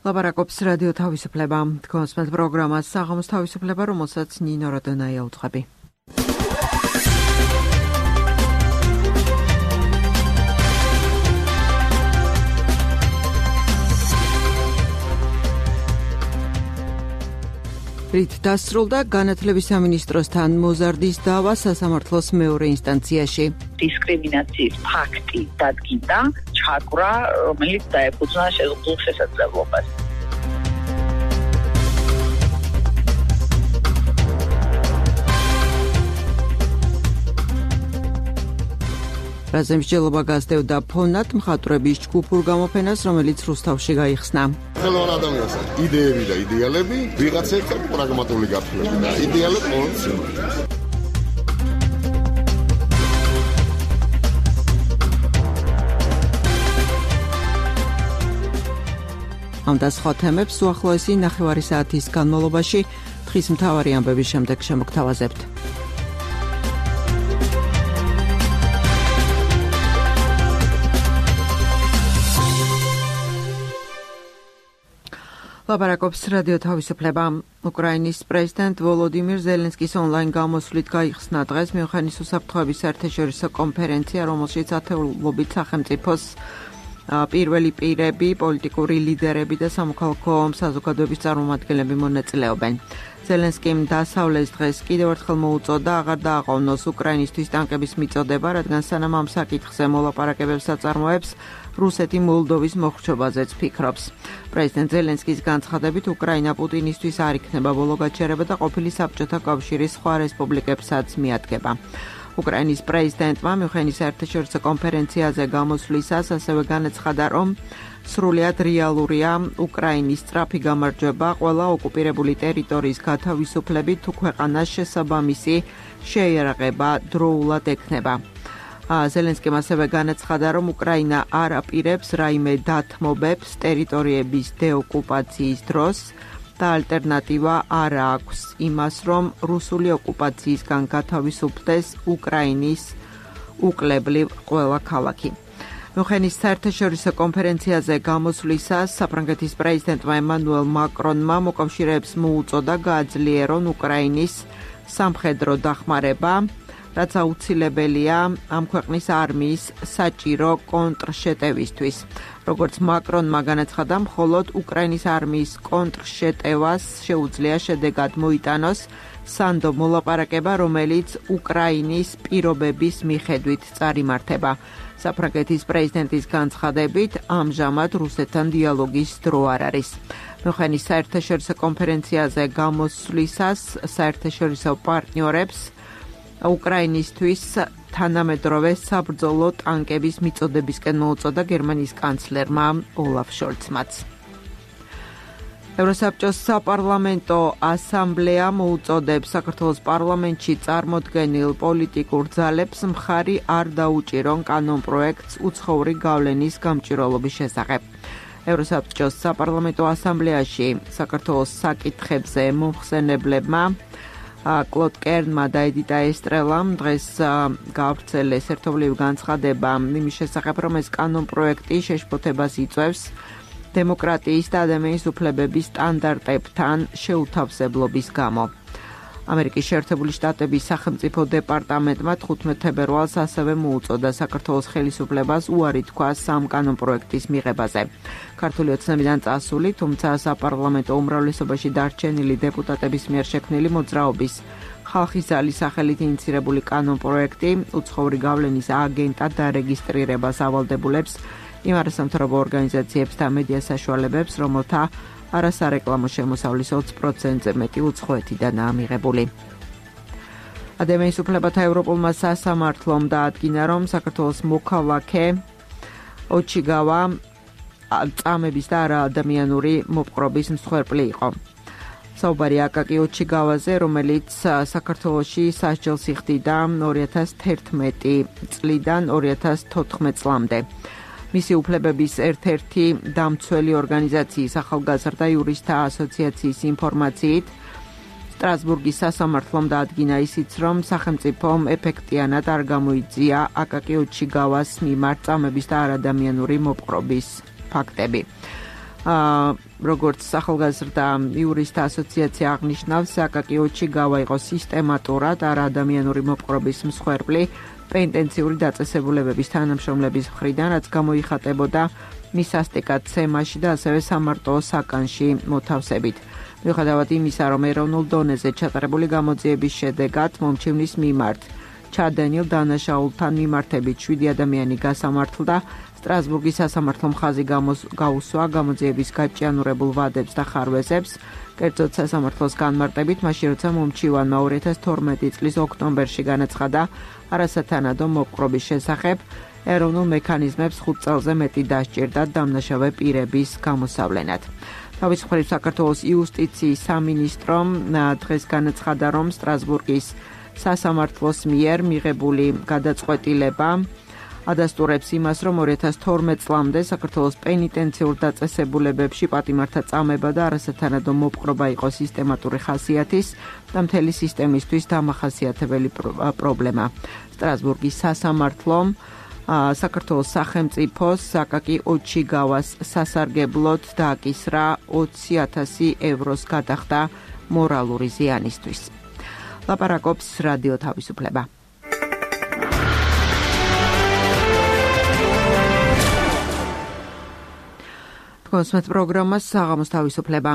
ლაპარაკობს რადიო თავისუფლება. თქვენს პროგრამას საღამოს თავისუფლება, რომელსაც ნინო როდონაია უძღვები. რით დასრულდა განათლების სამინისტროსთან მოზარდის დავა სასამართლოს მეორე ინსტანციაში. დისკრიმინაციის ფაქტი დადგინდა, ჩაკვრა, რომელიც დაეფუძნა შეზღუდულ შესაძლებლობას. რაზე მსჯელობა გასდევდა ფონად მხატვრების ჯგუფურ გამოფენას, რომელიც რუსთავში გაიხსნა. ხელოვან ადამიანს იდეები და იდეალები, ვიღაცებთან პრაგმატული გაფრთხილება და იდეალები ყოველთვის იმართებს. ამ და სხვა თემებს უახლოესი ნახევარი საათის განმავლობაში დღის მთავარი ამბების შემდეგ შემოგთავაზებთ. ლაპარაკობს რადიო თავისუფლება. უკრაინის პრეზიდენტ ვოლოდიმირ ზელენსკის ონლაინ გამოსვლით გაიხსნა დღეს მიუნხენის უსაფრთხოების საერთაშორისო კონფერენცია, რომელშიც ათეულობით სახელმწიფოს პირველი პირები, პოლიტიკური ლიდერები და სამოქალაქო საზოგადოების წარმომადგენლები მონაწილეობენ. ზელენსკიმ დასავლეს დღეს კიდევ ერთხელ მოუწოდა აღარ დააყოვნოს უკრაინისთვის ტანკების მიწოდება, რადგან სანამ ამ საკითხზე მოლაპარაკებებს აწარმოებს, რუსეთი მოლდოვის მოხრჩობაზეც ფიქრობს. პრეზიდენტ ზელენსკის განცხადებით, უკრაინა პუტინისთვის არ იქნება ბოლო გაჩერება და ყოფილი საბჭოთა კავშირის სხვა რესპუბლიკებსაც მიადგება. უკრაინის პრეზიდენტმა მიუნხენის საერთაშორისო კონფერენციაზე გამოსვლისას ასევე განაცხადა, რომ სრულიად რეალურია უკრაინის სწრაფი გამარჯვება ყველა ოკუპირებული ტერიტორიის გათავისუფლებით, თუ ქვეყანას შესაბამისი შეიარაღება დროულად ექნება. ზელენსკიმ ასევე განაცხადა, რომ უკრაინა არ აპირებს რაიმე დათმობებს ტერიტორიების დეოკუპაციის დროს და ალტერნატივა არ აქვს იმას, რომ რუსული ოკუპაციისგან გათავისუფლდეს უკრაინის უკლებლივ ყველა ქალაქი. მიუნხენის საერთაშორისო კონფერენციაზე გამოსვლისას საფრანგეთის პრეზიდენტმა ემანუელ მაკრონმა მოკავშირეებს მოუწოდა გააძლიერონ უკრაინის სამხედრო დახმარება, რაც აუცილებელია ამ ქვეყნის არმიის საჭირო კონტრშეტევისთვის. როგორც მაკრონმა განაცხადა, მხოლოდ უკრაინის არმიის კონტრშეტევას შეუძლია შედეგად მოიტანოს სანდო მოლაპარაკება, რომელიც უკრაინის პირობების მიხედვით წარიმართება. საფრანგეთის პრეზიდენტის განცხადებით, ამჟამად რუსეთთან დიალოგის დრო არ არის. მიუნხენის საერთაშორისო კონფერენციაზე გამოსვლისას საერთაშორისო პარტნიორებს უკრაინისთვის თანამედროვე საბრძოლო ტანკების მიწოდებისკენ მოუწოდა გერმანიის კანცლერმა ოლაფ შოლცმაც. ევროსაბჭოს საპარლამენტო ასამბლეა მოუწოდებს საქართველოს პარლამენტში წარმოდგენილ პოლიტიკურ ძალებს მხარი არ დაუჭირონ კანონპროექტს უცხოური გავლენის გამჭვირვალობის შესახებ. ევროსაბჭოს საპარლამენტო ასამბლეაში საქართველოს საკითხებზე მომხსენებლებმა კლოდ კერნმა და ედიტა ესტრელამ დღეს გაავრცელეს ერთობლივი განცხადება იმის შესახებ, რომ ეს კანონპროექტი შეშფოთებას იწვევს დემოკრატიის და ადამიანის უფლებების სტანდარტებთან შეუთავსებლობის გამო. ამერიკის შეერთებული შტატების სახელმწიფო დეპარტამენტმა 15 თებერვალს ასევე მოუწოდა საქართველოს ხელისუფლებას უარი თქვას ამ კანონპროექტის მიღებაზე. ქართული ოცნებიდან წასული, თუმცა საპარლამენტო უმრავლესობაში დარჩენილი დეპუტატების მიერ შექმნილი მოძრაობის ხალხის ძალის სახელით ინიცირებული კანონპროექტი უცხოური გავლენის აგენტად დარეგისტრირებას ავალდებულებს იმ არასამთავრობო ორგანიზაციებს და მედია საშუალებებს, რომელთა არასარეკლამო შემოსავლის 20%-ზე მეტი უცხოეთიდანაა მიღებული. ადამიანის უფლებათა ევროპულმა სასამართლომ დაადგინა, რომ საქართველოს მოქალაქე ოჩიგავა წამების და არაადამიანური მოპყრობის მსხვერპლი იყო. საუბარი აკაკი ოჩიგავაზე, რომელიც საქართველოში სასჯელს იხდიდა 2011 წლიდან 2014 წლამდე. მისი უფლებების ერთ-ერთი დამცველი ორგანიზაციის ახალგაზრდა იურისტთა ასოციაციის ინფორმაციით სტრასბურგის სასამართლომ დაადგინა ისიც, რომ სახელმწიფომ ეფექტიანად არ გამოიწვია აკაკი ოჩიგავას მიმართ წამების და არადამიანური მოპყრობის ფაქტები. როგორც ახალგაზრდა იურისტთა ასოციაცია აღნიშნავს, აკაკი ოჩიგავა იყო სისტემატურად არაადამიანური მოპყრობის მსხვერპლი პენტენციური დაწესებულებების თანამშრომლების მხრიდან, რაც გამოიხატებოდა მის ასტიკაცემაში და ასევე სამარტო საკანში მოთავსებით. მიუხედავად იმისა, რომ ეროვნულ დონეზე ჩატარებული გამოძიების შედეგად მომჩივნის მიმართ ჩადენილ დანაშაულთან მიმართებით 7 ადამიანი გასამართლდა, სტრასბურგის სასამართლო მხაზი გაუსვა გამოძიების გაჭიანურებულ ვადებს და ხარვეზებს, კერძოდ სასამართლოს განმარტებით, მაშინ როცა მომჩივანმა 2012 წლის ოქტომბერში განაცხადა არასათანადო მოპყრობის შესახებ, ეროვნულ მექანიზმებს 5 წელზე მეტი დასჭირდა დამნაშავე პირების გამოსავლენად. თავის მხრივ საქართველოს იუსტიციის სამინისტრომ დღეს განაცხადა, რომ სტრასბურგის სასამართლოს მიერ მიღებული გადაწყვეტილება ადასტურებს იმას, რომ 2012 წლამდე საქართველოს პენიტენციურ დაწესებულებებში პატიმართა წამება და არასათანადო მოპყრობა იყო სისტემატური ხასიათის და მთელი სისტემისთვის დამახასიათებელი პრობლემა. სტრასბურგის სასამართლომ საქართველოს სახელმწიფოს აკაკი ოჩიგავას სასარგებლოდ დააკისრა 20,000 ევროს გადახდა მორალური ზიანისთვის. ლაპარაკობს რადიო თავისუფლება. კონსმეთ პროგრამას საღამოს თავისუფლება.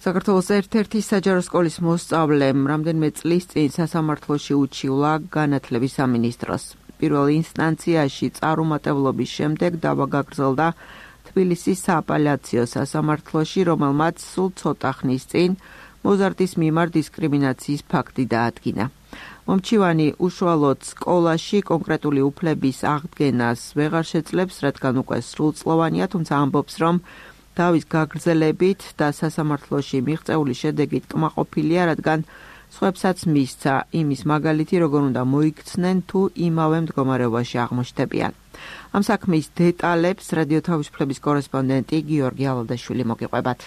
საქართველოს ერთ-ერთი საჯარო სკოლის მოსწავლემ რამდენიმე წლის წინ სასამართლოში უჩივლა განათლების სამინისტროს. პირველ ინსტანციაში წარუმატებლობის შემდეგ დავა გაგრძელდა თბილისის სააპელაციო სასამართლოში, რომელმაც სულ ცოტა ხნის წინ მოზარდის მიმართ დისკრიმინაციის ფაქტი დაადგინა. მომჩივანი უშუალოდ სკოლაში კონკრეტული უფლების აღდგენას ვეღარ შეძლებს, რადგან უკვე სრულწლოვანია, თუმცა ამბობს, რომ დავის გაგრძელებით და სასამართლოში მიღწეული შედეგით კმაყოფილია, რადგან სხვებსაც მისცა იმის მაგალითი, როგორ უნდა მოიქცნენ თუ იმავე მდგომარეობაში აღმოჩნდებიან. ამ საქმის დეტალებს რადიო თავისუფლების კორესპონდენტი გიორგი ალადაშვილი მოგიყვებათ.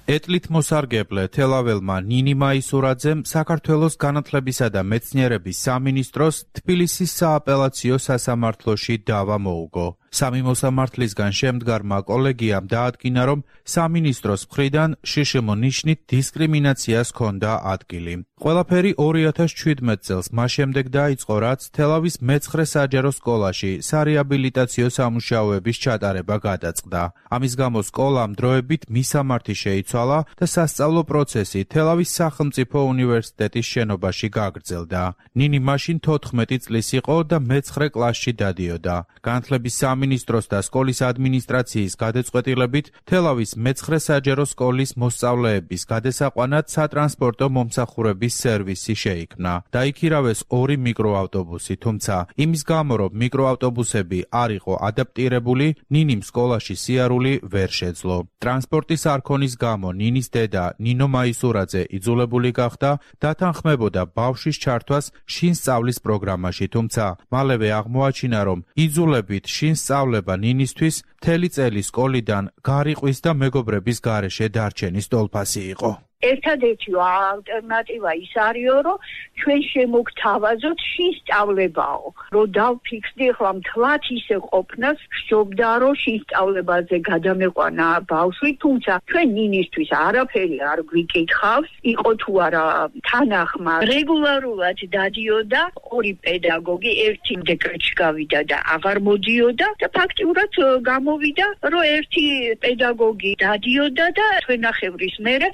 ეტლით მოსარგებლე თელაველმა ნინი მაისურაძემ საქართველოს განათლებისა და მეცნიერების სამინისტროს თბილისის სააპელაციო სასამართლოში დავა მოუგო. სამი მოსამართლისგან შემდგარმა კოლეგიამ დაადგინა, რომ სამინისტროს მხრიდან შშმ ნიშნით დისკრიმინაციას ჰქონდა ადგილი. ყველაფერი 2017 წელს მას შემდეგ დაიწყო, რაც თელავის მე-9 საჯარო სკოლაში სარეაბილიტაციო სამუშაოების ჩატარება გადაწყდა. ამის გამო სკოლამ დროებით მისამართი შეიცვალა და სასწავლო პროცესი თელავის სახელმწიფო უნივერსიტეტის შენობაში გაგრძელდა. ნინი მაშინ 14 წლის იყო და მე-9 კლასში დადიოდა. განათლების სამინისტროს და სკოლის ადმინისტრაციის გადაწყვეტილებით თელავის მე-9 საჯარო სკოლის მოსწავლეების გადასაყვანად სატრანსპორტო მომსახურების სერვისი შეიქმნა. დაიქირავეს 2 მიკროავტობუსი, თუმცა იმის გამო, რომ მიკროავტობუსები არ იყო ადაპტირებული, ნინიმ სკოლაში სიარული ვერ შეძლო. ტრანსპორტის არქონის გამო ნინის დედა ნინო მაისურაძე იძულებული გახდა დათანხმებოდა ბავშვის ჩართვას შინ სწავლის პროგრამაში, თუმცა მალევე აღმოაჩინა, რომ იძულებით შინ სწავლება ნინისთვის მთელი წელი სკოლიდან გარიყვის და მეგობრების გარეშე დარჩენის ტოლფასი იყო. ერთადერთი ალტერნატივა ის არისო, რომ ჩვენ შემოგთავაზოთ შინ სწავლებაო. რომ დავფიქსდი ახლა მთლად ისე ყოფნას, ხშობდა რომ შინ სწავლებაზე გადამეყვანა ბავშვი, თუმცა ჩვენ ნინისთვის არაფერი არ გვიკითხავს, იყო თუ არა თანახმა. რეგულარულად დადიოდა 2 პედაგოგი, ერთი დეკრეტში გავიდა და აღარ მოდიოდა და ფაქტიურად გამოვიდა, რომ ერთი პედაგოგი დადიოდა და თვენახევრის მერე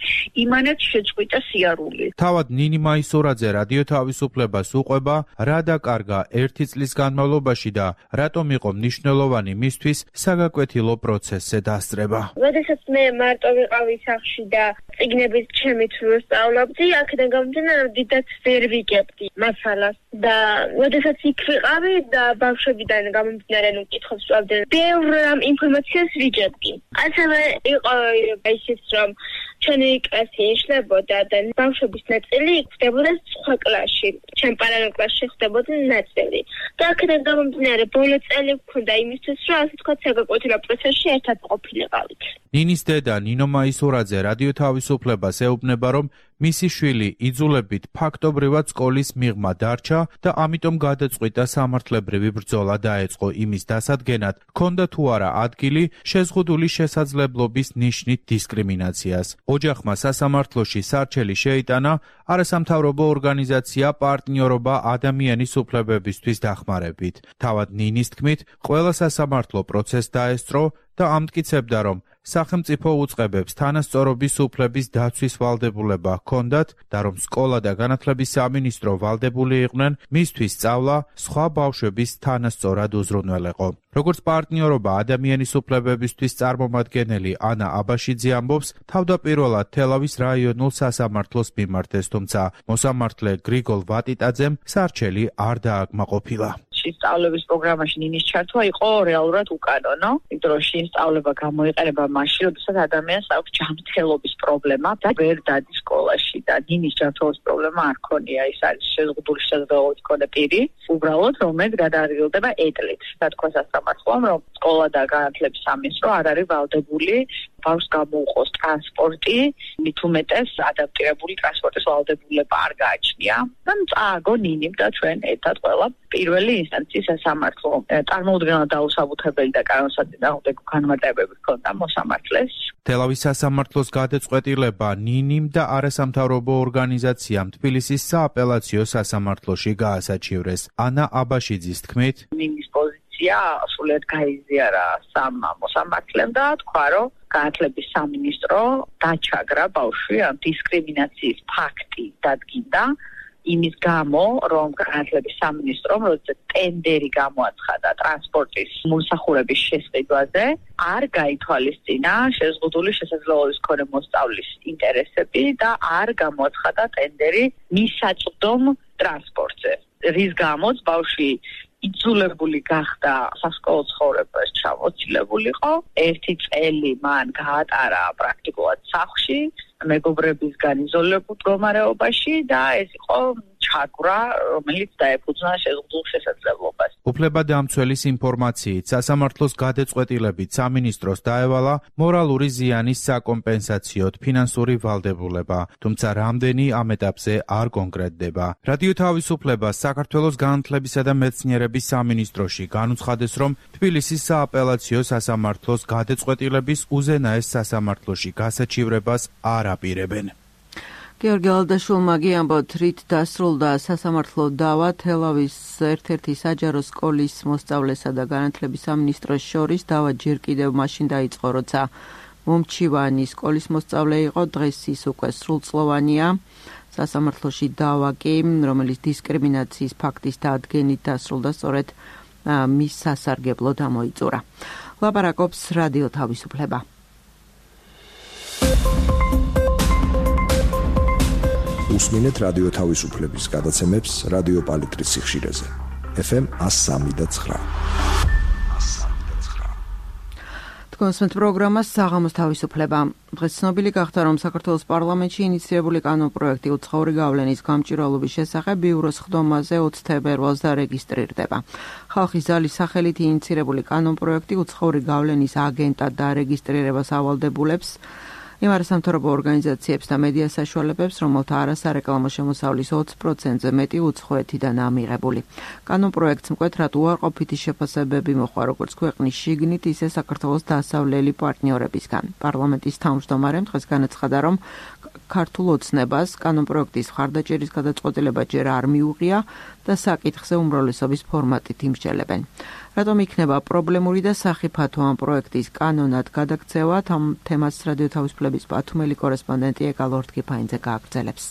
იმანაც შეწყვიტა სიარული. თავად ნინი მაისურაძე რადიო თავისუფლებას უყვება, რა დაკარგა 1 წლის განმავლობაში და რატომ იყო მნიშვნელოვანი მისთვის საგაკვეთილო პროცესზე დასწრება. როდესაც მე მარტო ვიყავი სახლში და წიგნებით ჩემი თვე სწავლობდი, აქედან გამომდინარე, რომ დიდად ვერ ვიგებდი მასალას და როდესაც იქ ვიყავი და ბავშვებიდან გამომდინარე, რომ კითხვებს ვსვამდი, ბევრ ინფორმაციას ვიგებდი. ასევე იყო ისიც, რომ ჩვენი კლასი იშლებოდა და ბავშვების ნაწილი ხდებოდა სხვა კლასში. ჩემ პარალელ კლასში ხდებოდა ნაწილი. და აქედან გამომდინარე, ბოლო წელი ვქონდა იმისთვის, რომ ასე თქვა საგაკვეთილო პროცესში ერთად ყოფილიყავით. ნინის დედა ნინო მაისურაძე რადიო თავისუფლებას ეუბნება, რომ მისი შვილი იძულებით ფაქტობრივად სკოლის მიღმა დარჩა და ამიტომ გადაწყვიტა სამართლებრივი ბრძოლა დაეწყო იმის დასადგენად, ჰქონდა თუ არა ადგილი შეზღუდული შესაძლებლობის ნიშნით დისკრიმინაციას. ოჯახმა სასამართლოში სარჩელი შეიტანა არასამთავრობო ორგანიზაცია პარტნიორობა ადამიანის უფლებებისთვის დახმარებით. თავად ნინის თქმით, ყველა სასამართლო პროცესს დაესწრო და ამტკიცებდა, რომ სახელმწიფო უწყებებს თანასწორობის უფლების დაცვის ვალდებულება ჰქონდათ და რომ სკოლა და განათლების სამინისტრო ვალდებული იყვნენ მისთვის სწავლა სხვა ბავშვების თანასწორად უზრუნველეყო. როგორც პარტნიორობა ადამიანის უფლებებისთვის წარმომადგენელი ანა აბაშიძე ამბობს, თავდაპირველად თელავის რაიონულ სასამართლოს მიმართეს, თუმცა მოსამართლე გრიგოლ ვატიტაძემ სარჩელი არ დააკმაყოფილა. სწავლების პროგრამაში ნინის ჩართვა იყო რეალურად უკანონო, იმიტომ რომ სწავლება გამოიყენება მაშინ, როდესაც ადამიანს აქვს ჯანმრთელობის პრობლემა და ვერ დადის სკოლაში და ნინის ჯანმრთელობის პრობლემა არ ქონია, ის არის შეზღუდული შესაძლებლობის მქონე პირი, უბრალოდ რომელიც გადაადგილდება ეტლით. და თქვა სასამართლომ, რომ სკოლა და განათლების სამინისტრო არ არის ვალდებული ბავშვს გამოუყოს ტრანსპორტი, მით უმეტეს ადაპტირებული ტრანსპორტის ვალდებულება არ გააჩნია. და წააგო ნინიმ და ჩვენ ერთად ყველა პირველი ინსტანციის სასამართლო წარმოუდგენლად დაუსაბუთებელი და კანონსაწინააღმდეგო განმარტებები ჰქონდა მოსამართლეს. თელავის სასამართლოს გადაწყვეტილება ნინიმ და არასამთავრობო ორგანიზაციამ თბილისის სააპელაციო სასამართლოში გაასაჩივრეს. ანა აბაშიძის თქმით, ნინის პოზიცია სრულიად გაიზიარა სამ მოსამართლემ და თქვა, რომ განათლების სამინისტრო დაჩაგრა ბავშვი ამ დისკრიმინაციის ფაქტი დადგინდა იმის გამო, რომ განათლების სამინისტრომ როდესაც ტენდერი გამოაცხადა ტრანსპორტის მომსახურების შესყიდვაზე, არ გაითვალისწინა შეზღუდული შესაძლებლობის მქონე მოსწავლის ინტერესები და არ გამოაცხადა ტენდერი მისაწვდომ ტრანსპორტზე. რის გამოც ბავშვი იძულებული გახდა სასკოლო ცხოვრებას ჩამოცილებულიყო. 1 წელი მან გაატარა პრაქტიკულად სახლში, მეგობრებისგან იზოლირებულ მდგომარეობაში და ეს იყო ჩაგვრა, რომელიც დაეფუძნა შეზღუდულ შესაძლებლობას. უფლებადამცველის ინფორმაციით, სასამართლოს გადაწყვეტილებით სამინისტროს დაევალა მორალური ზიანის საკომპენსაციოდ ფინანსური ვალდებულება, თუმცა რამდენი ამ ეტაპზე არ კონკრეტდება. რადიო თავისუფლებას საქართველოს განათლებისა და მეცნიერების სამინისტროში განუცხადეს, რომ თბილისის სააპელაციო სასამართლოს გადაწყვეტილების უზენაეს სასამართლოში გასაჩივრებას არ აპირებენ. გიორგი ალდაშულმა გიამბოთ, რით დასრულდა სასამართლო დავა თელავის ერთ-ერთი საჯარო სკოლის მოსწავლესა და განათლების სამინისტროს შორის. დავა ჯერ კიდევ მაშინ დაიწყო, როცა მომჩივანი სკოლის მოსწავლე იყო, დღეს ის უკვე სრულწლოვანია. სასამართლოში დავა კი, რომელიც დისკრიმინაციის ფაქტის დადგენით დასრულდა, სწორედ მის სასარგებლოდ ამოიწურა. ლაპარაკობს რადიო თავისუფლება. უსმინეთ რადიო თავისუფლების გადაცემებს რადიო პალიტრის სიხშირეზე. FM 103.9. კონსმეთ პროგრამას საღამოს თავისუფლება. დღეს ცნობილი გახდა, რომ საქართველოს პარლამენტში ინიციირებული კანონპროექტი უცხოური გავლენის გამჭვირვალობის შესახებ ბიუროს ხდომაზე 20 თებერვალს დარეგისტრირდება. ხალხის ზალის სახელით ინიციირებული კანონპროექტი უცხოური გავლენის აგენტად დარეგისტრირებას ავალდებულებს იმ არასამთავრობო ორგანიზაციებს და მედია საშუალებებს, რომელთა არასარეკლამო შემოსავლის 20%-ზე მეტი უცხოეთიდან ამიღებული. კანონპროექტს მკვეთრად უარყოფითი შეფასებები მოჰყვა როგორც ქვეყნის შიგნით, ისე საქართველოს დასავლელი პარტნიორებისგან. პარლამენტის თავმჯდომარემ დღეს განაცხადა, რომ ქართულ ოცნებას კანონპროექტის მხარდაჭერის გადაწყვეტილება ჯერ არ მიუღია და საკითხზე უმრავლესობის ფორმატით იმსჯელებენ. რატომ იქნება პრობლემური და სახიფათო ამ პროექტის კანონად გადაქცევა? ამ თემას რადიო თავისუფლების ბათუმელი კორესპონდენტი ეკალ ორთქიფაინძე გააგრძელებს.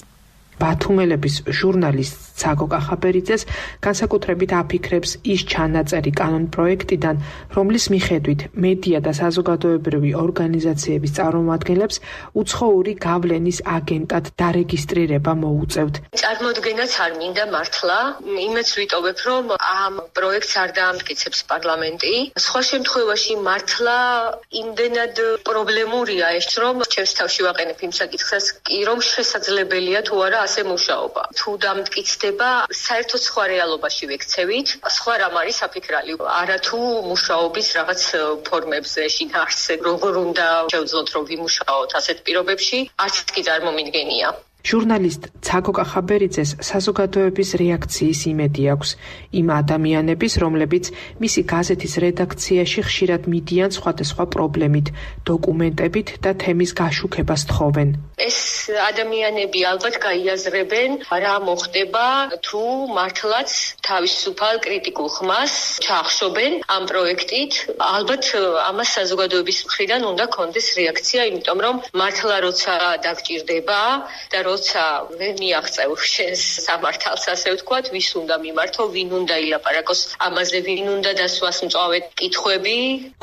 ბათუმელების ჟურნალისტ ცაგო კახაბერიძეს განსაკუთრებით აფიქრებს ის ჩანაწერი კანონპროექტიდან, რომლის მიხედვით მედია და საზოგადოებრივი ორგანიზაციების წარმომადგენლებს უცხოური გავლენის აგენტად დარეგისტრირება მოუწევთ. წარმოდგენაც არ მინდა მართლა, იმეც ვიტოვებ, რომ ამ პროექტს არ დაამტკიცებს პარლამენტი. სხვა შემთხვევაში მართლა იმდენად პრობლემურია ეს, რომ ჩემს თავში ვაყენებ იმ საკითხს, რომ შესაძლებელია თუ არა ასე მუშაობა. თუ დამტკიცდება, საერთოდ სხვა რეალობაში ვექცევით, სხვა რამ არის საფიქრალი. არა თუ მუშაობის რაღაც ფორმებზე შინაარსზე, როგორ უნდა შევძლოთ, რომ ვიმუშაოთ ასეთ პირობებში, არც კი წარმომიდგენია. ჟურნალისტ ცაგო კახაბერიძეს საზოგადოების რეაქციის იმედი აქვს. იმ ადამიანების, რომლებიც მისი გაზეთის რედაქციაში ხშირად მიდიან სხვადასხვა პრობლემით, დოკუმენტებით და თემის გაშუქებას თხოვენ. ეს ადამიანები ალბათ გაიაზრებენ, რა მოხდება თუ მართლაც თავისუფალ კრიტიკულ ხმას ჩაახშობენ ამ პროექტით. ალბათ ამას საზოგადოების მხრიდან უნდა კონდეს რეაქცია, იმიტომ რომ მართლა როცა დაგჭირდება და როცა ვერ მიაღწევ შენს სამართალს, ასე ვთქვათ, ვის უნდა მიმართო, ვინ უნდა ილაპარაკოს ამაზე, ვინ უნდა დასვას მწვავედ კითხვები.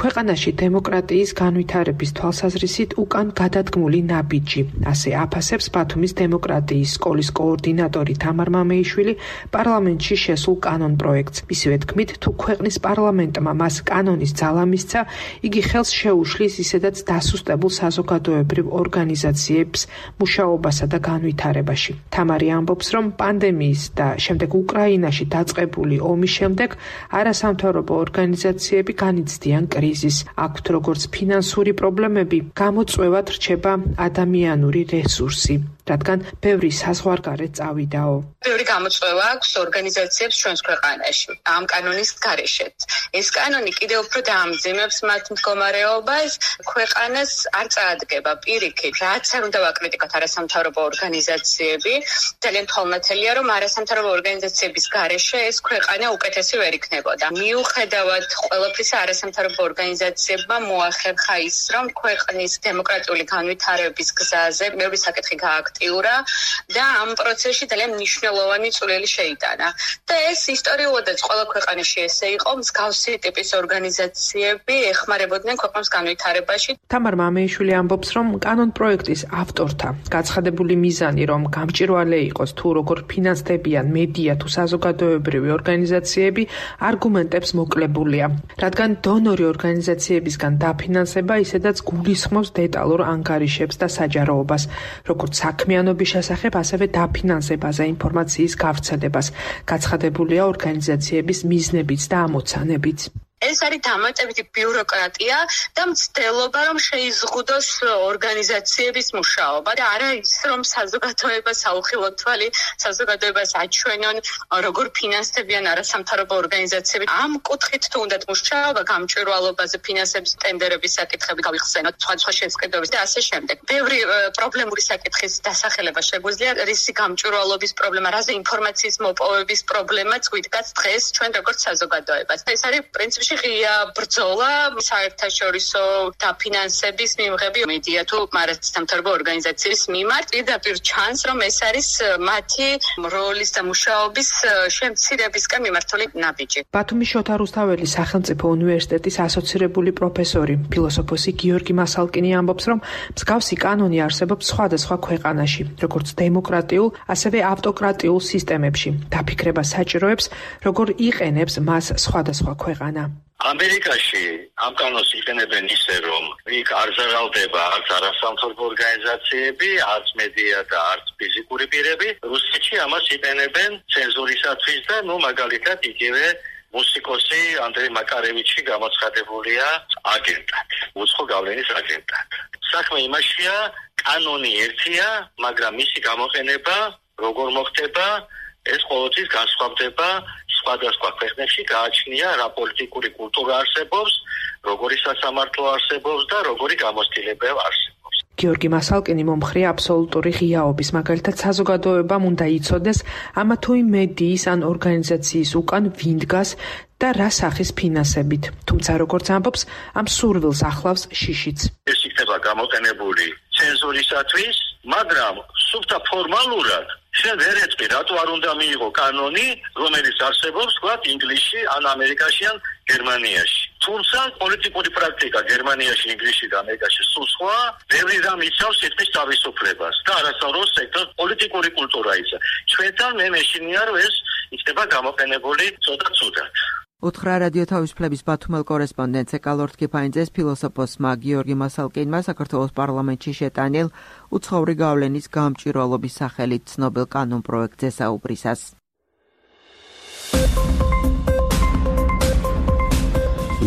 ქვეყანაში დემოკრატიის განვითარების თვალსაზრისით უკან გადადგმული ნაბიჯი. ასე აფასებს ბათუმის დემოკრატიის სკოლის კოორდინატორი თამარ მამეიშვილი პარლამენტში შესულ კანონ პროექტს. მისივე თქმით, თუ ქვეყნის პარლამენტმა მას კანონის ძალა მისცა, იგი ხელს შეუშლის ისედაც დასუსტებულ საზოგადოებრივ ორგანიზაციებს მუშაობასა და განვითარებაში. თამარი ამბობს, რომ პანდემიის და შემდეგ უკრაინაში დაწყებული ომის შემდეგ არასამთავრობო ორგანიზაციები განიცდიან კრიზისს. აქვთ როგორც ფინანსური პრობლემები, გამოწვევად რჩება ადამიანური რესურსი, რადგან ბევრი საზღვარგარეთ წავიდაო. ბევრი გამოწვევა აქვს ორგანიზაციებს ჩვენს ქვეყანაში ამ კანონის გარეშეც. ეს კანონი კიდევ უფრო დაამძიმებს მათ მდგომარეობას, ქვეყანას არ წაადგება პირიქით. რაც არ უნდა ვაკრიტიკოთ არასამთავრობო ორგანიზაციები, ძალიან თვალნათელია, რომ არასამთავრობო ორგანიზაციების გარეშე ეს ქვეყანა უკეთესი ვერ იქნებოდა. მიუხედავად ყველაფრისა, არასამთავრობო ორგანიზაციებმა მოახერხა ის, რომ ქვეყნის დემოკრატიული განვითარების გზაზე ბევრი საკითხი გააქტიურა და ამ პროცესში ძალიან მნიშვნელოვანი წვლილი შეიტანა. და ეს ისტორიულადაც ყველა ქვეყანაში ესე იყო, მსგავსი ტიპის ორგანიზაციები ეხმარებოდნენ ქვეყნის განვითარებაში. თამარ მამეიშვილი ამბობს, რომ კანონ პროექტის ავტორთა გაცხადებული მიზანი, რომ გამჭვირვალე იყოს თუ როგორ ფინანსდებიან მედია თუ საზოგადოებრივი ორგანიზაციები, არგუმენტებს მოკლებულია, რადგან დონორი ორგანიზაციებისგან დაფინანსება ისედაც გულისხმობს დეტალურ ანგარიშებს და საჯაროობას, როგორც საქმიანობის შესახებ, ასევე დაფინანსებაზე ინფორმაციის გავრცელებას. გაცხადებულია ორგანიზაციების მიზნებიც და ამოცანებიც. ეს არის დამატებითი ბიუროკრატია და მცდელობა, რომ შეიზღუდოს ორგანიზაციების მუშაობა და არა ის, რომ საზოგადოებას აუხილოთ თვალი, საზოგადოებას აჩვენონ, როგორ ფინანსდებიან არასამთავრობო ორგანიზაციები. ამ კუთხით თუ უნდათ მუშაობა, გამჭვირვალობაზე, ფინანსების ტენდერების საკითხები გავიხსენოთ, სხვა შეზღუდვების და ასე შემდეგ. ბევრი პრობლემური საკითხის დასახელება შეგვიძლია, რისი გამჭვირვალობის პრობლემა, რაზე ინფორმაციის მოპოვების პრობლემაც გვიდგას დღეს ჩვენ როგორც საზოგადოებას. ეს არის პრინციპში ღია ბრძოლა საერთაშორისო დაფინანსების მიღები მედია თუ არასამთავრობო ორგანიზაციის მიმართ. პირდაპირ ჩანს, რომ ეს არის მათი როლის და მუშაობის შემცირებისკენ მიმართული ნაბიჯი. ბათუმის შოთა რუსთაველის სახელმწიფო უნივერსიტეტის ასოცირებული პროფესორი, ფილოსოფოსი გიორგი მასალკინი ამბობს, რომ მსგავსი კანონი არსებობს სხვადასხვა ქვეყანაში, როგორც დემოკრატიულ, ასევე ავტოკრატიულ სისტემებში. დაფიქრება საჭიროებს, როგორ იყენებს მას სხვადასხვა ქვეყანა. ამერიკაში ამ კანონს იყენებენ ისე, რომ იქ არ ზარალდება არც არასამთავრობო ორგანიზაციები, არც მედია და არც ფიზიკური პირები. რუსეთში ამას იყენებენ ცენზურისათვის და მაგალითად იგივე მუსიკოსი ანდრეი მაკარევიჩი გამოცხადებულია აგენტად, უცხო გავლენის აგენტად. საქმე იმაშია, კანონი ერთია, მაგრამ მისი გამოყენება როგორ მოხდება, ეს ყოველთვის განსხვავდება სხვადასხვა ქვეყნებში, გააჩნია რა პოლიტიკური კულტურა არსებობს, როგორი სასამართლო არსებობს და როგორი გამოცდილება არსებობს. გიორგი მასალკინი მომხრია აბსოლუტური ღიაობის, მაგალითად საზოგადოებამ უნდა იცოდეს ამა თუ იმ მედიის ან ორგანიზაციის უკან ვინ დგას და რა სახის ფინანსებით. თუმცა როგორც ამბობს, ამ სურვილს ახლავს შიშიც. ეს იქნება გამოყენებული ცენზურისათვის, მაგრამ სუფთა ფორმალურად შენ ვერ ეწყვი, რატო არ უნდა მიიღო კანონი, რომელიც არსებობს, ვთქვათ, ინგლისში, ან ამერიკაში, ან გერმანიაში. თუმცა პოლიტიკური პრაქტიკა გერმანიაში, ინგლისში და ამერიკაში სულ სხვა, ბევრი რამ იცავს სიტყვის თავისუფლებას და არასწოროს სექტორ პოლიტიკური კულტურა ისა. ჩვენთან მე მეშინია, რომ ეს იქნება გამოყენებული ცოტა ცუდად. უთხრა რადიო თავისუფლების ბათუმელ კორესპონდენტს ეკალორთ კიფაინძეს ფილოსოფოსმა გიორგი მასალკინმა საქართველოს პარლამენტში შეტანილ უცხოური გავლენის გამჭვირვალობის სახელით ცნობილ კანონ პროექტზე საუბრისას.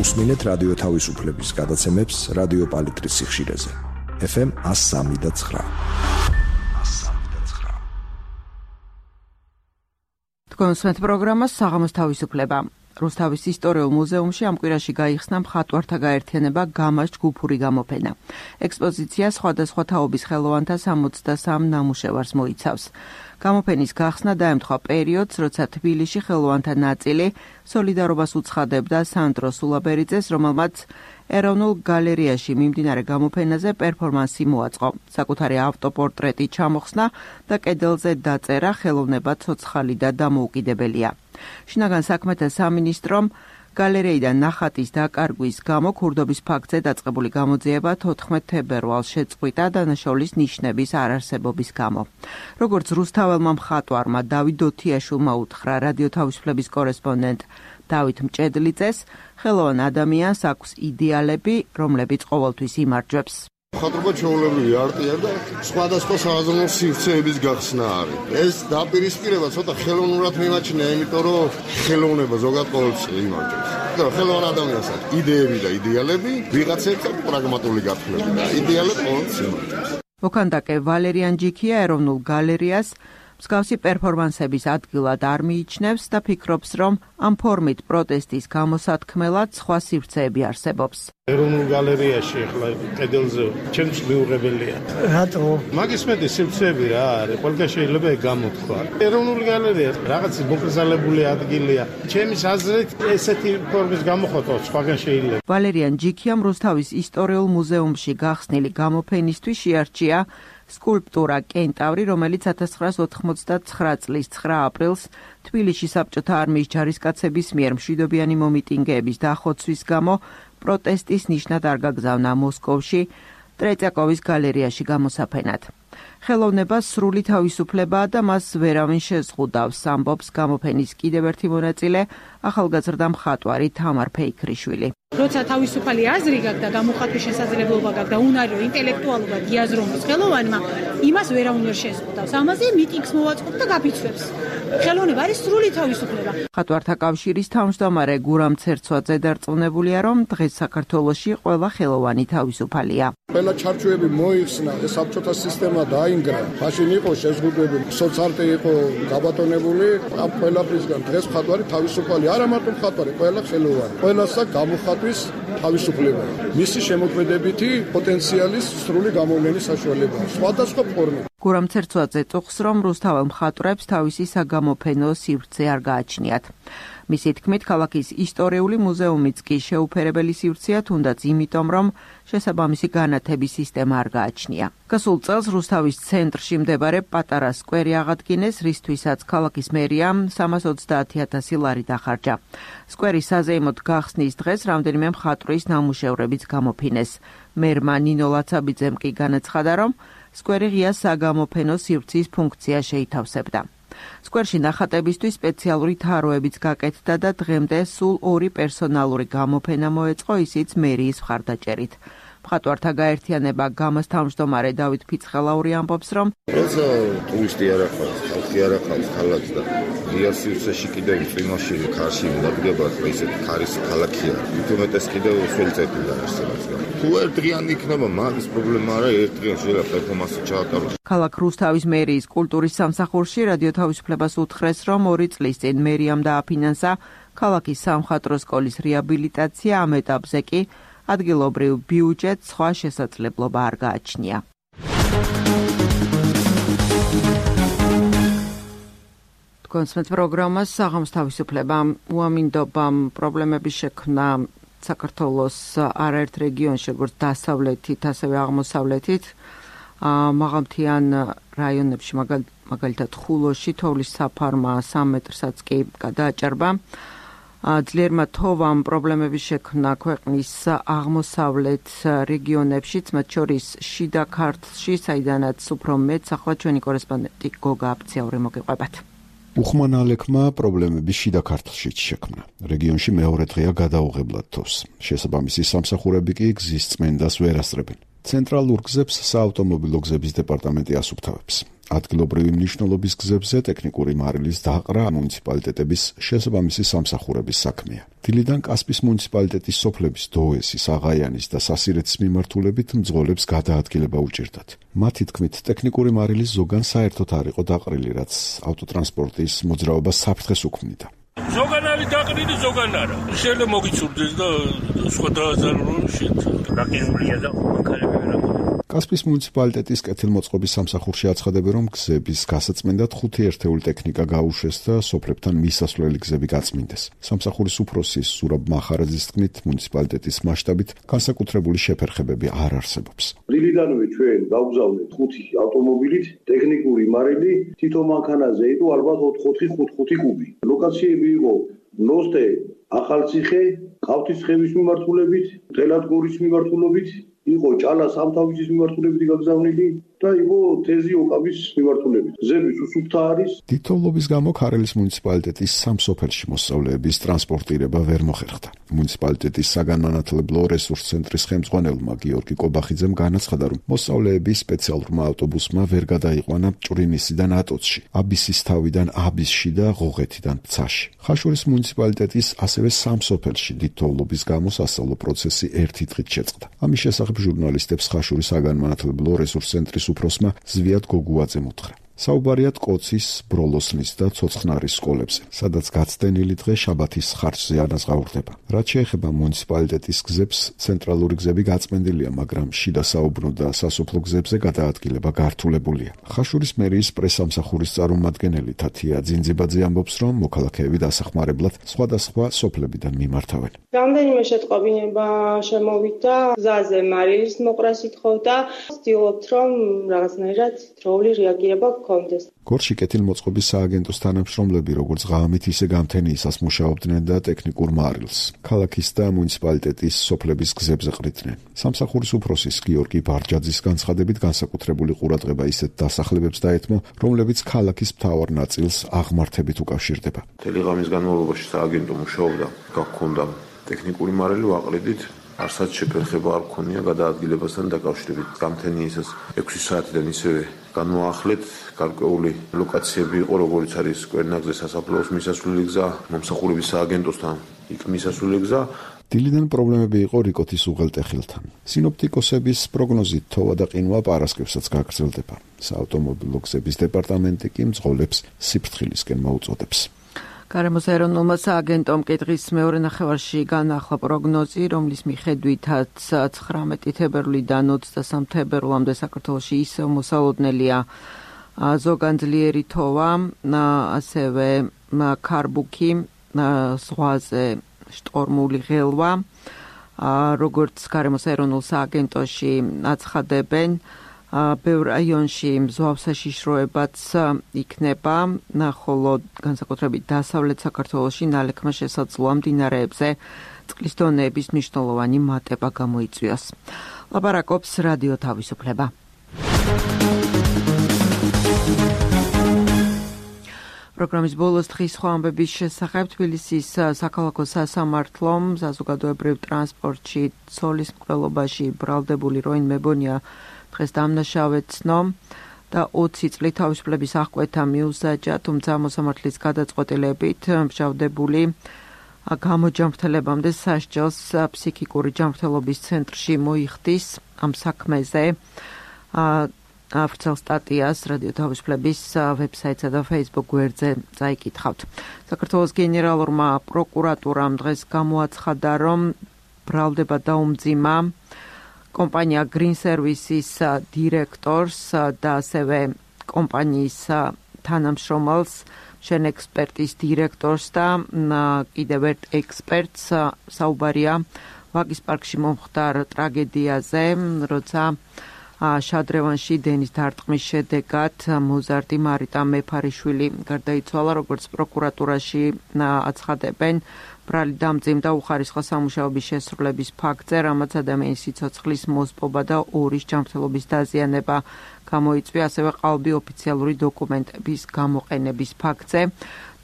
უსმინეთ რადიო თავისუფლების გადაცემებს რადიო პალიტრის სიხშირეზე. FM 103.9. თქვენსმეთ პროგრამას საღამოს თავისუფლება. რუსთავის ისტორიულ მუზეუმში ამ კვირაში გაიხსნა მხატვართა გაერთიანება გამას ჯგუფური გამოფენა. ექსპოზიცია სხვადასხვა თაობის ხელოვანთა 63 ნამუშევარს მოიცავს. გამოფენის გახსნა დაემთხვა პერიოდს, როცა თბილისში ხელოვანთა ნაწილი სოლიდარობას უცხადებდა სანდრო სულაბერიძეს, რომელმაც ეროვნულ გალერეაში მიმდინარე გამოფენაზე პერფორმანსი მოაწყო. საკუთარი ავტოპორტრეტი ჩამოხსნა და კედელზე დაწერა ხელოვნება ცოცხალი და დამოუკიდებელია. შინაგან საქმეთა სამინისტრომ გალერეიდან ნახატის დაკარგვის გამო ქურდობის ფაქტზე დაწყებული გამოძიება 14 თებერვალს შეწყვიტა დანაშაულის ნიშნების არარსებობის გამო. როგორც რუსთაველმა მხატვარმა დავით დოთიაშვილმა უთხრა რადიო თავისუფლების კორესპონდენტ დავით მჭედლიძეს, ხელოვან ადამიანს აქვს იდეალები, რომლებიც ყოველთვის იმარჯვებს. მხატვრობა ჩვეულებრივი არტია და სხვადასხვა საზრუნო სივრცეების გახსნა არის. ეს დაპირისპირება ცოტა ხელოვნურად მიმაჩნია, იმიტომ რომ ხელოვნება ზოგადად ყოველთვის იმარჯვებს. და ხელოვან ადამიანს აქვს იდეები და იდეალები, ვიღაცებს აქვს პრაგმატული გათვლები და იდეალები ყოველთვის იმარჯვებს. მოქანდაკე ვალერიან ჯიქია ეროვნულ გალერეას მსგავსი პერფორმანსების ადგილად არ მიიჩნევს და ფიქრობს, რომ ამ ფორმით პროტესტის გამოსათქმელად სხვა სივრცეები არსებობს. ეროვნულ გალერეაში ახლა კედელზე ჩემს მიუღებელია. რატო? მაგის მეტი სივრცეები რა არის, ყველგან შეიძლება ეგ გამოთქვა. ეროვნული გალერეა რაღაც მოკრძალებული ადგილია. ჩემის აზრით ესეთი ფორმის გამოხატვა სხვაგან შეიძლება. ვალერიან ჯიქიამ რუსთავის ისტორიულ მუზეუმში გახსნილი გამოფენისთვის შეარჩია სკულპტურა კენტავრი, რომელიც 1989 წლის 9 აპრილს თბილისში საბჭოთა არმიის ჯარისკაცების მიერ მშვიდობიანი მომიტინგეების დახოცვის გამო პროტესტის ნიშნად არ გაგზავნა მოსკოვში ტრეწიაკოვის გალერეაში გამოსაფენად. ხელოვნებას სრული თავისუფლებაა და მას ვერავინ შეზღუდავს, ამბობს გამოფენის კიდევ ერთი მონაწილე, ახალგაზრდა მხატვარი თამარ ფეიქრიშვილი. როცა თავისუფალი აზრი გაქვს და გამოხატვის შესაძლებლობა გაქვს და უნარი რომ ინტელექტუალურად იაზროს ხელოვანმა, იმას ვერავინ ვერ შეზღუდავს. ამაზე მიტინგს მოვაწყობ და გაფიცვებს. ხელოვნება არის სრული თავისუფლება. მხატვართა კავშირის თავმჯდომარე გურამ ცერცვაძე დარწმუნებულია, რომ დღეს საქართველოში ყველა ხელოვანი თავისუფალია. ყველა ჩარჩოები მოიხსნა, საბჭოთა სისტემა დაინგრა, მაშინ იყო შეზღუდვები, სოციალისტი იყო გაბატონებული, ამ ყველაფრისგან დღეს მხატვარი თავისუფალი, არა მარტო მხატვარი, ყველა ხელოვანი. ყველას აქვს გამოხატვის თავისუფლება. მისი შემოქმედებითი პოტენციალის სრული გამოვლენის საშუალება, სხვადასხვა ფორმით. გურამ ცერცვაძე წუხს, რომ რუსთაველ მხატვრებს თავისი საგამოფენო სივრცე არ გააჩნიათ. მისი თქმით, ქალაქის ისტორიული მუზეუმიც კი შეუფერებელი სივრცეა, თუნდაც იმიტომ, რომ შესაბამისი განათების სისტემა არ გააჩნია. გასულ წელს რუსთავის ცენტრში მდებარე პატარა სკვერი აღადგინეს, რისთვისაც ქალაქის მერიამ 330,000 ლარი დახარჯა. სკვერის საზეიმოდ გახსნის დღეს რამდენიმე მხატვრის ნამუშევრებიც გამოფინეს. მერმა ნინო ლაცაბიძემ კი განაცხადა, რომ სკვერი ღია საგამოფენო სივრცის ფუნქცია შეითავსებდა. სკვერში ნახატებისთვის სპეციალური თაროებიც გაკეთდა და დღემდე სულ 2 პერსონალური გამოფენა მოეწყო, ისიც მერიის მხარდაჭერით. მხატვართა გაერთიანება გამას თავმჯდომარე დავით ფიცხელაური ამბობს, რომ ეს ტურისტი არ ახავს, ხალხი არ ახავს ქალაქს და ღია სივრცეში კიდევ წვიმაში ქარში დადგება, ესეთი ქარის ქალაქია. თუმეტეს კიდევ სველწები და არსებობს. თუ ერთდღიანი იქნება, მაგის პრობლემა არა, ერთდღიან შეიძლება პერფორმანსი ჩაატაროს. ქალაქ რუსთავის მერიის კულტურის სამსახურში რადიო თავისუფლებას უთხრეს, რომ 2 წლის წინ მერიამ დააფინანსა ქალაქის სამხატვრო სკოლის რეაბილიტაცია, ამ ეტაპზე კი ადგილობრივ ბიუჯეტს სხვა შესაძლებლობა არ გააჩნია. კონსმეთ პროგრამას საღამოს თავისუფლება უამინდობამ პრობლემების შექმნა საქართველოს არაერთ რეგიონში, როგორც დასავლეთით, ასევე აღმოსავლეთით, მაღალმთიან რაიონებში, მაგალითად ხულოში, თოვლის საფარმა 3 მეტრსაც კი გადააჭარბა. ძლიერმა თოვამ პრობლემების შექმნა ქვეყნის აღმოსავლეთ რეგიონებში, მათ შორის შიდა ქართლში, საიდანაც უფრო მეც, ახლა ჩვენი კორესპონდენტი გოგა აფციაური მოგიყვებათ. უხმანალექმა პრობლემები შიდა ქართლშიც შექმნა. რეგიონში მეორე დღეა გადაუღებლად თოვს. შესაბამისი სამსახურები კი გზის წმენდას ვერ ასწრებენ. ცენტრალურ გზებს საავტომობილო გზების დეპარტამენტი ასუფთავებს. ადგილობრივი მნიშვნელობის გზებზე ტექნიკური მარილის დაყრა მუნიციპალიტეტების შესაბამისი სამსახურების საქმეა. დილიდან კასპის მუნიციპალიტეტის სოფლების დოესის, აღაიანის და სასირეთის მიმართულებით მძღოლებს გადაადგილება უჭირდათ. მათი თქმით, ტექნიკური მარილის ზოგან საერთოდ არ იყო დაყრილი, რაც ავტოტრანსპორტის მოძრაობას საფრთხეს უქმნიდა. ზოგან არის დაყრილი, ზოგან არა. შეიძლება მოგიცურდეს და სხვა დააზარალოს გაკეთებულია და მანქანები ვერ ამოდის. კასპის მუნიციპალიტეტის კეთილმოწყობის სამსახურში აცხადებენ, რომ გზების გასაწმენდად 5 ერთეული ტექნიკა გაუშვეს და სოფლებთან მისასვლელი გზები გაწმინდეს. სამსახურის უფროსის ზურაბ მახარაძის თქმით, მუნიციპალიტეტის მასშტაბით განსაკუთრებული შეფერხებები არ არსებობს. დილიდანვე ჩვენ გავგზავნეთ 5 ავტომობილით ტექნიკური მარილი, თითო მანქანაზე იყო ალბათ 4-5 კუბი. ლოკაციები იყო ნოსტე, ახალციხე, ყავთისხევის მიმართულებით, თელადგორის მიმართულებით, იყო ჭალა სამთავისის მიმართულებით გაგზავნილი და იყო თეზი ოკაბის მიმართულებით. გზების უსუფთა არის. დიდთოვლობის გამო ქარელის მუნიციპალიტეტის სამ სოფელში მოსწავლეების ტრანსპორტირება ვერ მოხერხდა. მუნიციპალიტეტის საგანმანათლებლო რესურს ცენტრის ხელმძღვანელმა გიორგი კობახიძემ განაცხადა, რომ მოსწავლეები სპეციალურმა ავტობუსმა ვერ გადაიყვანა ჭვრინისიდან ატოცში, აბისის თავიდან აბისში და ღოღეთიდან ფცაში. ხაშურის მუნიციპალიტეტის ასევე სამ სოფელში დიდთოვლობის გამო სასწავლო პროცესი ერთი დღით შეწყდა. ამის შესახებ ჟურნალისტებს ხაშურის საგანმანათლებლო რესურს ცენტრის უფროსმა ზვიად გოგუაძემ უთხრა. საუბარია კოცის, ბროლოსნის და ცოცხნარის სკოლებზე, სადაც გაცდენილი დღე შაბათის ხარჯზე ანაზღაურდება. რაც შეეხება მუნიციპალიტეტის გზებს, ცენტრალური გზები გაწმენდილია, მაგრამ შიდა საუბნო და სასოფლო გზებზე გადაადგილება გართულებულია. ხაშურის მერიის პრესამსახურის წარმომადგენელი თათია ძინძიბაძე ამბობს, რომ მოქალაქეები დასახმარებლად სხვადასხვა სოფლებიდან მიმართავენ. რამდენიმე შეტყობინება შემოვიდა, გზაზე მარილის მოყრას ითხოვდა, ვცდილობთ, რომ რაღაცნაირად დროული რეაგირება გორში კეთილმოწყობის სააგენტოს თანამშრომლები როგორც ღამით, ისე გამთენიისას მუშაობდნენ და ტექნიკურ მარილს ქალაქის და მუნიციპალიტეტის სოფლების გზებზე ყრიდნენ. სამსახურის უფროსის გიორგი ბარჯაძის განცხადებით განსაკუთრებული ყურადღება ისეთ დასახლებებს დაეთმო, რომლებიც ქალაქის მთავარ ნაწილს აღმართებით უკავშირდება. მთელი ღამის განმავლობაში სააგენტო მუშაობდა, გაქონდა ტექნიკური მარილი ვაყრიდით. არცაც შეფერხება არ ქონია გადაადგილებასთან დაკავშირებით. გამთენიისას 6 საათიდან ისევე განმოახლეთ, გარკვეული ლოკაციები იყო, როგორც არის კვერნაგზე სასაფლაოს მისასვლელი გზა, მომსახურების სააგენტოსთან იქ მისასვლელი გზა. დილიდან პრობლემები იყო რიკოთის უღელტეხილთან. სინოპტიკოსების პროგნოზით თოვა და ყინვა პარასკევსაც გაგრძელდება. საავტომობილო გზების დეპარტამენტი კი მძღოლებს სიფრთხილისკენ მოუწოდებს. გარემოს ეროვნულმა სააგენტომ კითხვის მეორე ნახევარში განახლა პროგნოზი, რომლის მიხედვითაც 19 თებერვლიდან 23 თებერვლამდე საქართველოში ისევ მოსალოდნელია ზოგან ძლიერი თოვა, ასევე ქარბუქი, ზღვაზე შტორმული ღელვა, როგორც გარემოს ეროვნულ სააგენტოში აცხადებენ, ბევრ რაიონში მზვავსაშიშროებაც იქნება, ხოლო განსაკუთრებით დასავლეთ საქართველოში ნალექმა შესაძლოა მდინარეებზე წყლის დონეების მნიშვნელოვანი მატება გამოიწვიოს. ლაპარაკობს რადიო თავისუფლება. პროგრამის ბოლოს დღის სხვა ამბების შესახებ თბილისის საქალაქო სასამართლომ საზოგადოებრივ ტრანსპორტში ცოლის მკვლელობაში ბრალდებული როინ მებონია დღეს დამნაშავედ ცნო და 20 წლით თავისუფლების აღკვეთა მიუსაჯა, თუმცა მოსამართლის გადაწყვეტილებით მსჯავრდებული გამოჯანმრთელებამდე სასჯელს ფსიქიკური ჯანმრთელობის ცენტრში მოიხდის. ამ საქმეზე ვრცელ სტატიას რადიო თავისუფლების ვებსაიტსა და Facebook გვერდზე წაიკითხავთ. საქართველოს გენერალურმა პროკურატურამ დღეს გამოაცხადა, რომ ბრალდება დაუმძიმა კომპანია Green Services დირექტორს და ასევე კომპანიის თანამშრომელს, შენ ექსპერტის დირექტორს და კიდევ ერთ ექსპერტს. საუბარია ვაკის პარკში მომხდარ ტრაგედიაზე, როცა შადრევანში დენის დარტყმის შედეგად მოზარდი მარიტა მეფარიშვილი გარდაიცვალა, როგორც პროკურატურაში აცხადებენ. ბრალი დამძიმდა უხარისხო სამუშაოების შესრულების ფაქტზე, რამაც ადამიანის სიცოცხლის მოსპობა და ორის ჯანმრთელობის დაზიანება გამოიწვია, ასევე ყალბი ოფიციალური დოკუმენტების გამოყენების ფაქტზე.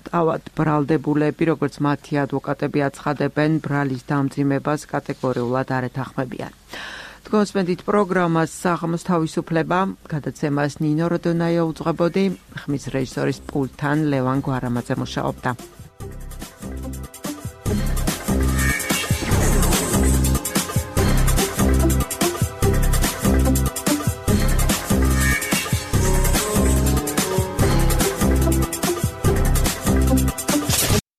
თავად ბრალდებულები, როგორც მათი ადვოკატები აცხადებენ, ბრალის დამძიმებას კატეგორიულად არ ეთანხმებიან. თქვენსმენდით პროგრამას საღამოს თავისუფლება, გადაცემას ნინო როდონაია უძღვებოდი, ხმის რეჟისორის პულტთან ლევან გვარამაძე მუშაობდა.